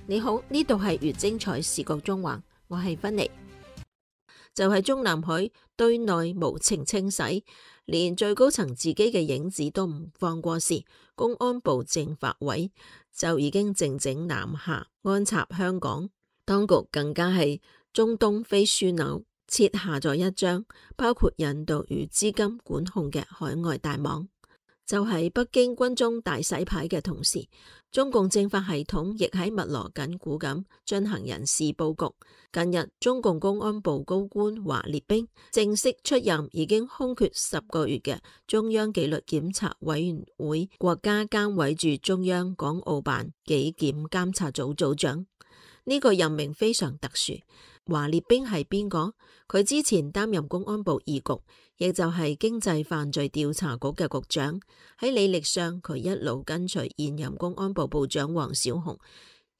你好，呢度係越精彩視覺中環，我係芬妮。就係中南海對內無情清洗，連最高層自己嘅影子都唔放過時，公安部政法委就已經靜靜南下安插香港，當局更加係中東非樞紐設下咗一張包括引渡與資金管控嘅海外大網。就喺北京軍中大洗牌嘅同時，中共政法系統亦喺密鑼緊鼓咁進行人事佈局。近日，中共公安部高官華列兵正式出任已經空缺10個月嘅中央紀律檢查委員會國家監委駐中央港澳辦紀檢監察組組長。呢個任命非常特殊。華列兵係邊個？佢之前擔任公安部二局，亦就係經濟犯罪調查局嘅局長。喺履歷上，佢一路跟隨現任公安部部長王小洪，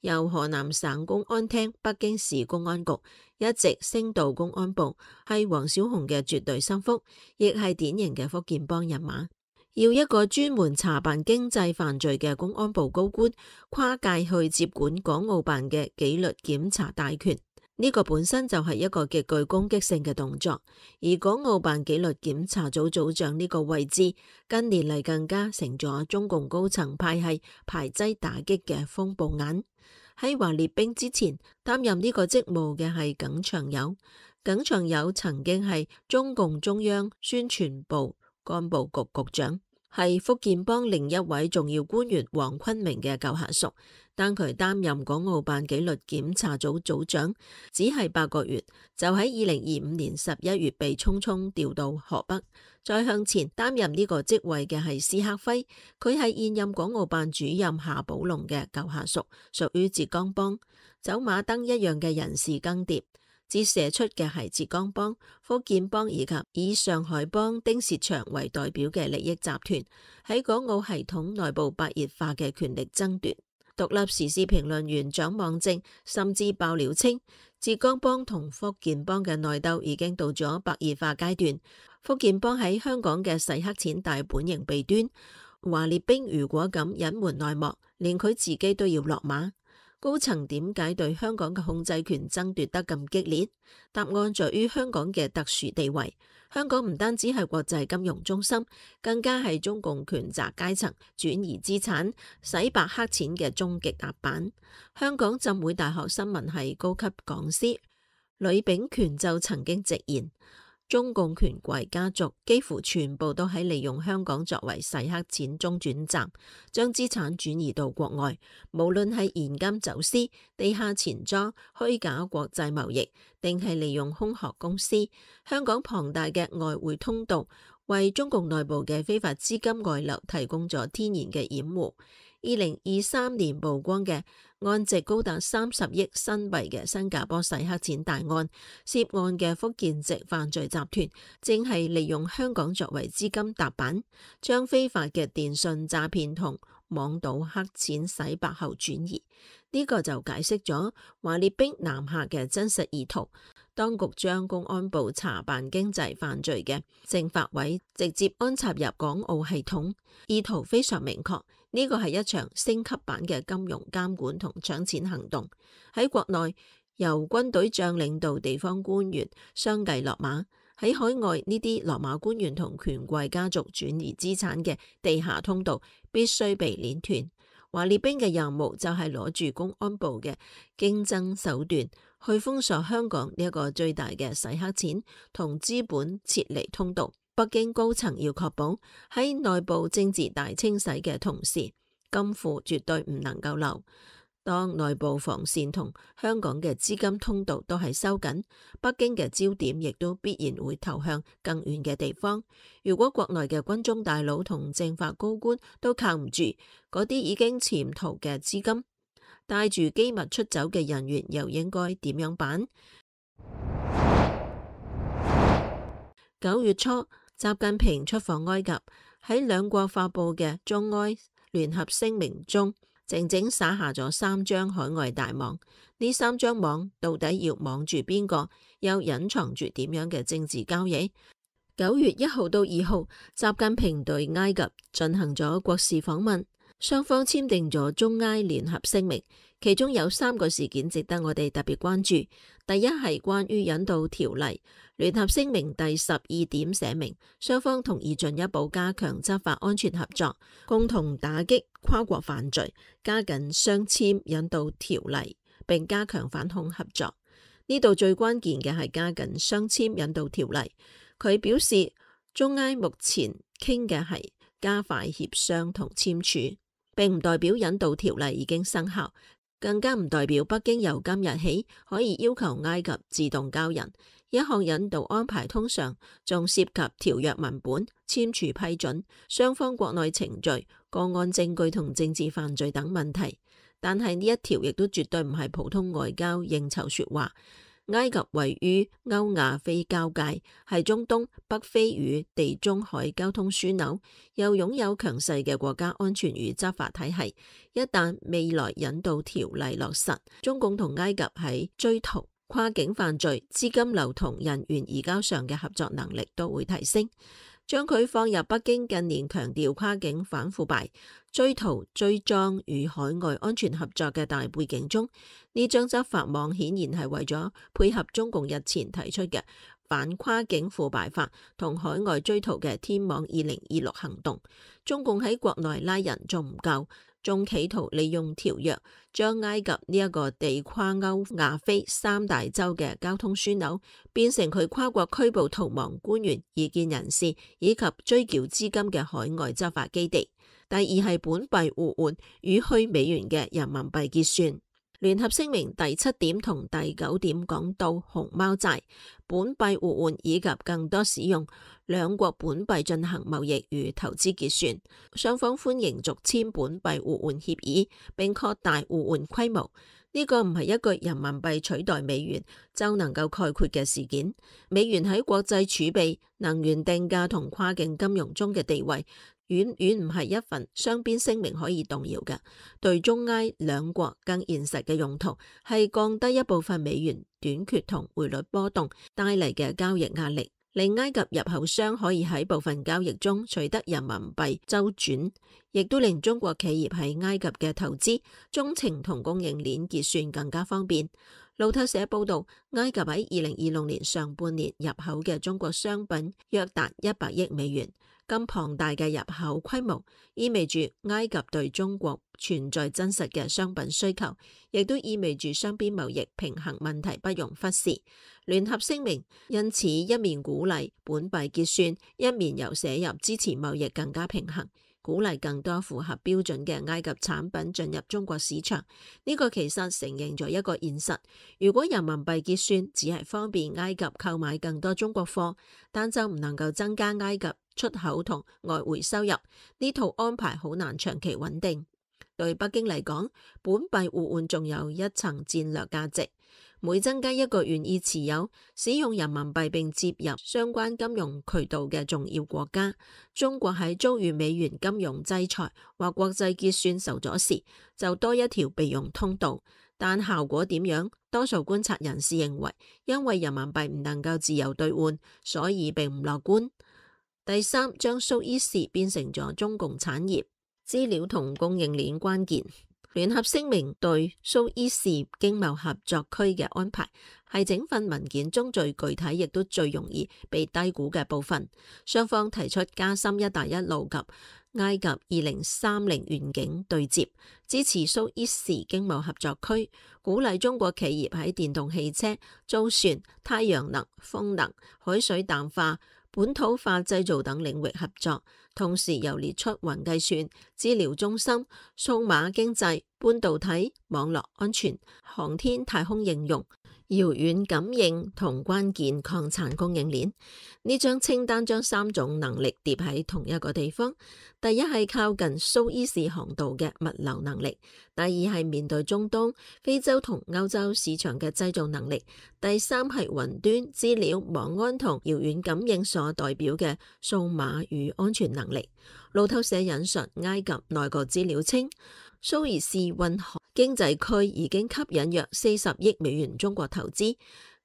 由河南省公安廳、北京市公安局一直升到公安部，係王小洪嘅絕對心腹，亦係典型嘅福建幫人馬。要一個專門查辦經濟犯罪嘅公安部高官跨界去接管港澳辦嘅紀律檢查大權，呢個本身就係一個極具攻擊性嘅動作。而港澳辦紀律檢查組組長呢個位置，近年嚟更加成咗中共高層派系排擠打擊嘅風暴眼。喺華列兵之前擔任呢個職務嘅係耿長友，耿長友曾經係中共中央宣傳部幹部局局長，係福建幫另一位重要官員黃坤明嘅舊下屬，但佢擔任港澳辦紀律檢查組組長只係8個月，就喺2025年11月被匆匆調到河北。再向前擔任呢個職位嘅係施克輝，佢係現任港澳辦主任夏寶龍嘅舊下屬，屬於浙江幫，走馬燈一樣嘅人事更迭。折射出嘅係浙江幫、福建幫以及以上海幫丁薛祥為代表嘅利益集團喺港澳系統內部白熱化嘅權力爭奪。獨立時事評論員蔣望正甚至爆料稱，浙江幫同福建幫嘅內鬥已經到咗白熱化階段。福建幫喺香港嘅洗黑錢大本營弊端，華列兵如果咁隱瞞內幕，連佢自己都要落馬。高層點解對香港嘅控制權爭奪得咁激烈？答案在於香港嘅特殊地位。香港唔單止係國際金融中心，更加係中共權責階層轉移資產、洗白黑錢嘅終極踏板。香港浸會大學新聞系高級講師呂秉權就曾經直言，中共權貴家族幾乎全部都喺利用香港作為洗黑錢中轉站，將資產轉移到國外。無論係現金走私、地下錢莊、虛假國際貿易，定係利用空殼公司，香港龐大嘅外匯通道為中共內部嘅非法資金外流提供咗天然嘅掩護。2023年曝光嘅案值高達30億新幣嘅新加坡洗黑錢大案，涉案嘅福建籍犯罪集團正係利用香港作為資金踏板，將非法嘅電信詐騙同網賭黑錢洗白後轉移。呢個就解釋咗華列兵南下嘅真實意圖。當局將公安部查辦經濟犯罪嘅政法委直接安插入港澳系統，意圖非常明確。呢個係一場升級版嘅金融監管同搶錢行動。喺國內，由軍隊將領到地方官員相繼落馬；喺海外，呢啲落馬官員同權貴家族轉移資產嘅地下通道必須被鏈斷。華列兵嘅任務就係攞住公安部嘅經爭手段，去封鎖香港呢一個最大嘅洗黑錢同資本撤離通道。北京高層要確保喺內部政治大清洗嘅同時，金庫絕對唔能夠漏。當內部防線同香港嘅資金通道都係收緊，北京嘅焦點亦都必然會投向更遠嘅地方。如果國內嘅軍中大佬同政法高官都靠唔住，嗰啲已經潛逃嘅資金，帶住機密出走嘅人員又應該點樣辦？9月初，習近平出訪埃及，喺兩國發佈嘅中埃聯合聲明中，靜靜撒下咗3張海外大網。呢3張網到底要網住邊個？又隱藏住點樣嘅政治交易？9月1號到2號，習近平對埃及進行咗國事訪問。雙方簽訂咗中埃聯合聲明，其中有3個事件值得我哋特別關注。第一係關於引渡條例，聯合聲明第12點寫明，雙方同意進一步加強執法安全合作，共同打擊跨國犯罪，加緊雙簽引渡條例，並加強反恐合作。呢度最關鍵嘅係加緊雙簽引渡條例。佢表示，中埃目前傾嘅係加快協商同簽署，並唔代表引渡條例已經生效，更加唔代表北京由今日起可以要求埃及自動交人。一項引渡安排通常仲涉及條約文本、簽署批准、雙方國內程序、個案證據同政治犯罪等問題。但係呢一條亦都絕對唔係普通外交應酬說話。埃及位於歐亞非交界，係中東、北非與地中海交通樞紐，又擁有強勢嘅國家安全與執法體系。一旦未來引渡條例落實，中共同埃及喺追逃、跨境犯罪、資金流同人員移交上嘅合作能力都會提升。將佢放入北京近年強調跨境反腐敗、追逃追贓與海外安全合作嘅大背景中，呢張執法網顯然係為咗配合中共日前提出嘅反跨境腐敗法同海外追逃嘅天網2026行動。中共喺國內拉人仲唔夠，仲企圖利用條約將埃及呢一個地跨歐亞非3大洲嘅交通樞紐變成佢跨國拘捕逃亡官員、異見人士以及追繳資金嘅海外執法基地。第二係本幣互換與去美元嘅人民幣結算。聯合聲明第7點同第9點講到熊貓債、本幣互換以及更多使用兩國本幣進行貿易與投資結算。雙方歡迎續簽本幣互換協議，並擴大互換規模。呢個唔係一個人民幣取代美元就能夠概括嘅事件。美元喺國際儲備、能源定價同跨境金融中嘅地位，遠遠唔係一份雙邊聲明可以動搖嘅。對中埃兩國更現實嘅用途係降低一部分美元短缺同匯率波動帶嚟嘅交易壓力，令埃及入口商可以喺部分交易中取得人民幣周轉，亦都令中國企業喺埃及嘅投資、中程同供應鏈結算更加方便。路透社報道，埃及喺2026年上半年入口嘅中國商品約達100億美元。咁龐大嘅入口規模，意味住埃及對中國存在真實嘅商品需求，亦都意味住雙邊貿易平衡問題不容忽視。聯合聲明因此一面鼓勵本幣結算，一面又寫入支持貿易更加平衡，鼓勵更多符合標準嘅埃及產品進入中國市場。呢個其實承認咗一個現實，如果人民幣結算只係方便埃及購買更多中國貨，但就唔能夠增加埃及出口同外匯收入，呢套安排好難長期穩定。對北京嚟講，本幣互換仲有一層戰略價值。每增加一個願意持有、使用人民幣並接入相關金融渠道嘅重要國家，中國喺遭遇美元金融制裁或國際結算受阻時，就多一條備用通道。但效果點樣？多數觀察人士認為，因為人民幣唔能夠自由兌換，所以並唔樂觀。第三，將蘇伊士變成咗中共產業、資料同供應鏈關鍵。聯合聲明對蘇伊士經貿合作區嘅安排，係整份文件中最具體，亦都最容易被低估嘅部分。雙方提出加深一帶一路及埃及2030願景對接，支持蘇伊士經貿合作區，鼓勵中國企業喺電動汽車、造船、太陽能、風能、海水淡化、本土化製造等領域合作，同時又列出雲計算、資料中心、數碼經濟、半導體、網絡安全、航天太空應用、遙遠感應同關鍵礦產供應鏈。呢張清單將3種能力疊喺同一個地方。第一係靠近蘇伊士航道嘅物流能力，第二係面對中東、非洲同歐洲市場嘅製造能力，第三係雲端、資料、網安同遙遠感應所代表嘅數碼與安全能力。路透社引述埃及內閣資料稱，蘇伊士運河經濟區已經吸引約40億美元中國投資。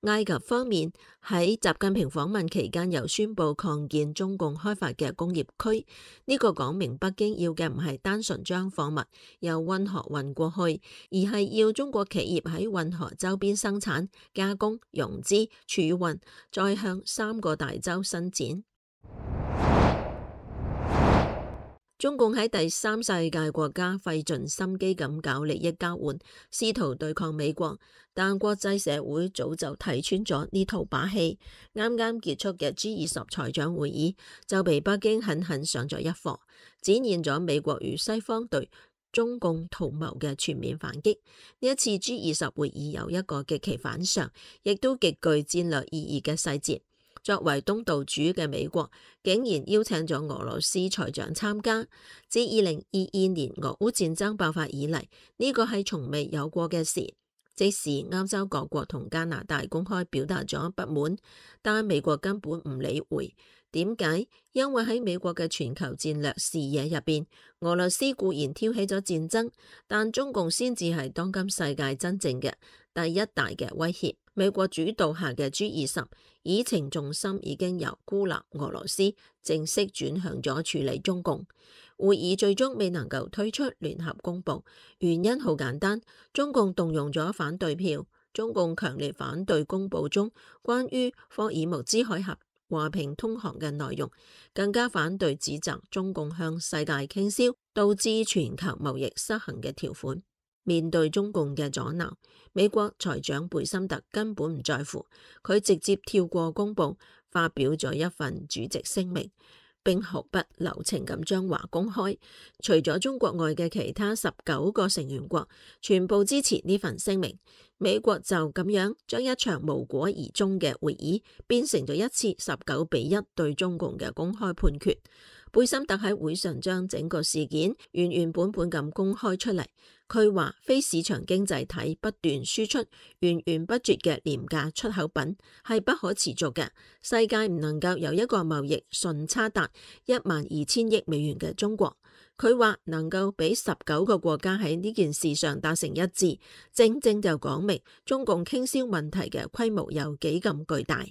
埃及方面喺習近平訪問期間又宣布擴建中共開發嘅工業區，呢個講明北京要嘅唔係單純將貨物由運河運過去，而係要中國企業喺運河周邊生產、加工、融資、儲運，再向3個大洲伸展。中共喺第三世界國家費盡心機咁搞利益交換，試圖對抗美國，但國際社會早就睇穿咗呢套把戲。啱啱結束嘅 G20 財長會議就被北京狠狠上咗一課，展現咗美國與西方對中共圖謀嘅全面反擊。呢一次 G20 會議有一個極其反常，亦都極具戰略意義嘅細節。作為東道主嘅美國，竟然邀請咗俄羅斯財長參加。自2022年俄烏戰爭爆發以嚟，呢個係從未有過嘅事。即使歐洲各國同加拿大公開表達咗不滿，但美國根本唔理會。點解？因為喺美國嘅全球戰略視野入邊，俄羅斯固然挑起咗戰爭，但中共先至係當今世界真正嘅第一大嘅威脅。美國主導下嘅 G20 議程重心已經由孤立俄羅斯正式轉向咗處理中共。會議最終未能夠推出聯合公報，原因好簡單，中共動用咗反對票。中共強烈反對公報中關於霍爾木茲海峽和平通航嘅內容，更加反對指責中共向世界傾銷導致全球貿易失衡嘅條款。面對中共嘅阻撓，美國財長貝森特根本唔在乎，佢直接跳過公報，發表咗一份主席聲明，並毫不留情咁將話公開。除咗中國外嘅其他19個成員國全部支持呢份聲明，美國就咁樣將一場無果而終嘅會議變成咗一次19-1對中共嘅公開判決。貝森特喺會上將整個事件原原本本咁公開出嚟。佢話非市場經濟體不斷輸出源源不絕嘅廉價出口品係不可持續嘅，世界唔能夠有一個貿易順差達12000億美元嘅中國。佢話能夠俾19個國家喺呢件事上達成一致，正正就講明中共傾銷問題嘅規模有幾咁巨大。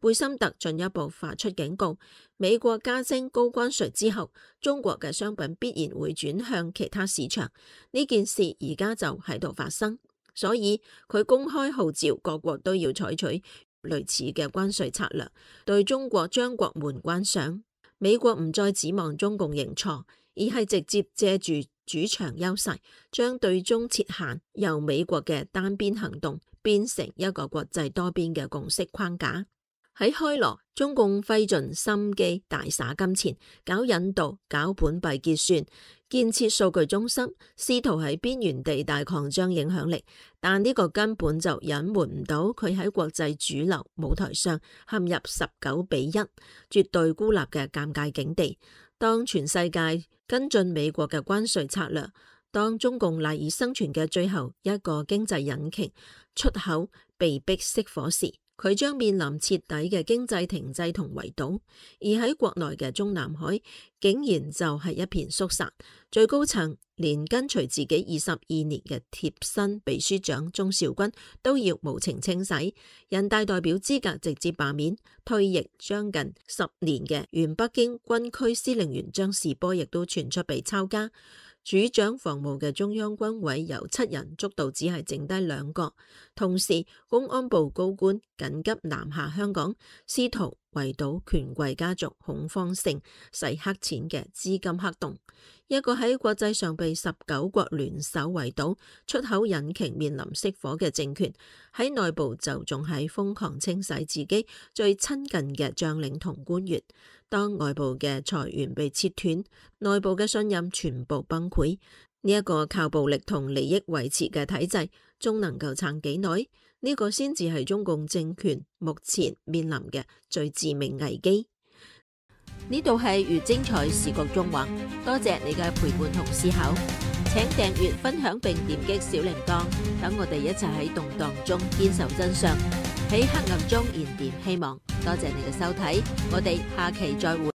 貝森特進一步發出警告，美國加徵高關稅之後，中國嘅商品必然會轉向其他市場。呢件事而家就喺度發生，所以佢公開號召各國都要採取類似嘅關稅策略，對中國將國門關上。美國唔再指望中共認錯，而係直接借住主場優勢，將對中設限由美國嘅單邊行動變成一個國際多邊嘅共識框架。喺開羅，中共費盡心機大灑金錢，搞引導、搞本幣結算、建設數據中心，試圖喺邊緣地帶擴張影響力，但呢個根本就隱瞞唔到佢喺國際主流舞台上陷入19-1絕對孤立嘅尷尬境地。當全世界跟進美國嘅關稅策略，當中共賴以生存嘅最後一個經濟引擎出口被迫熄火時，佢將面臨徹底嘅經濟停滯同圍堵。而喺國內嘅中南海竟然就係一片肅殺，最高層連跟隨自己22年嘅貼身秘書長鍾肇軍都要無情清洗，人大代表資格直接罷免，退役將近10年嘅原北京軍區司令員張士波亦都傳出被抄家。主掌防務嘅中央軍委由7人捉到只係剩低2個，同時公安部高官緊急南下香港，試圖圍堵權貴家族恐慌性洗黑錢嘅資金黑洞。一個喺國際上被19國聯手圍堵，出口引擎面臨熄火嘅政權，喺內部就仲係瘋狂清洗自己最親近嘅將領同官員。當外部嘅財源被切斷，內部嘅信任全部崩潰，呢一個靠暴力同利益維持嘅體制，仲能夠撐幾耐？呢個先至係中共政權目前面臨嘅最致命危機。呢度係越精彩視覺中環，多謝你嘅陪伴同思考，請訂閱、分享並點擊小鈴鐺，等我哋一齊喺動盪中堅守真相，喺黑暗中燃點希望。多謝你嘅收睇，我哋下期再會。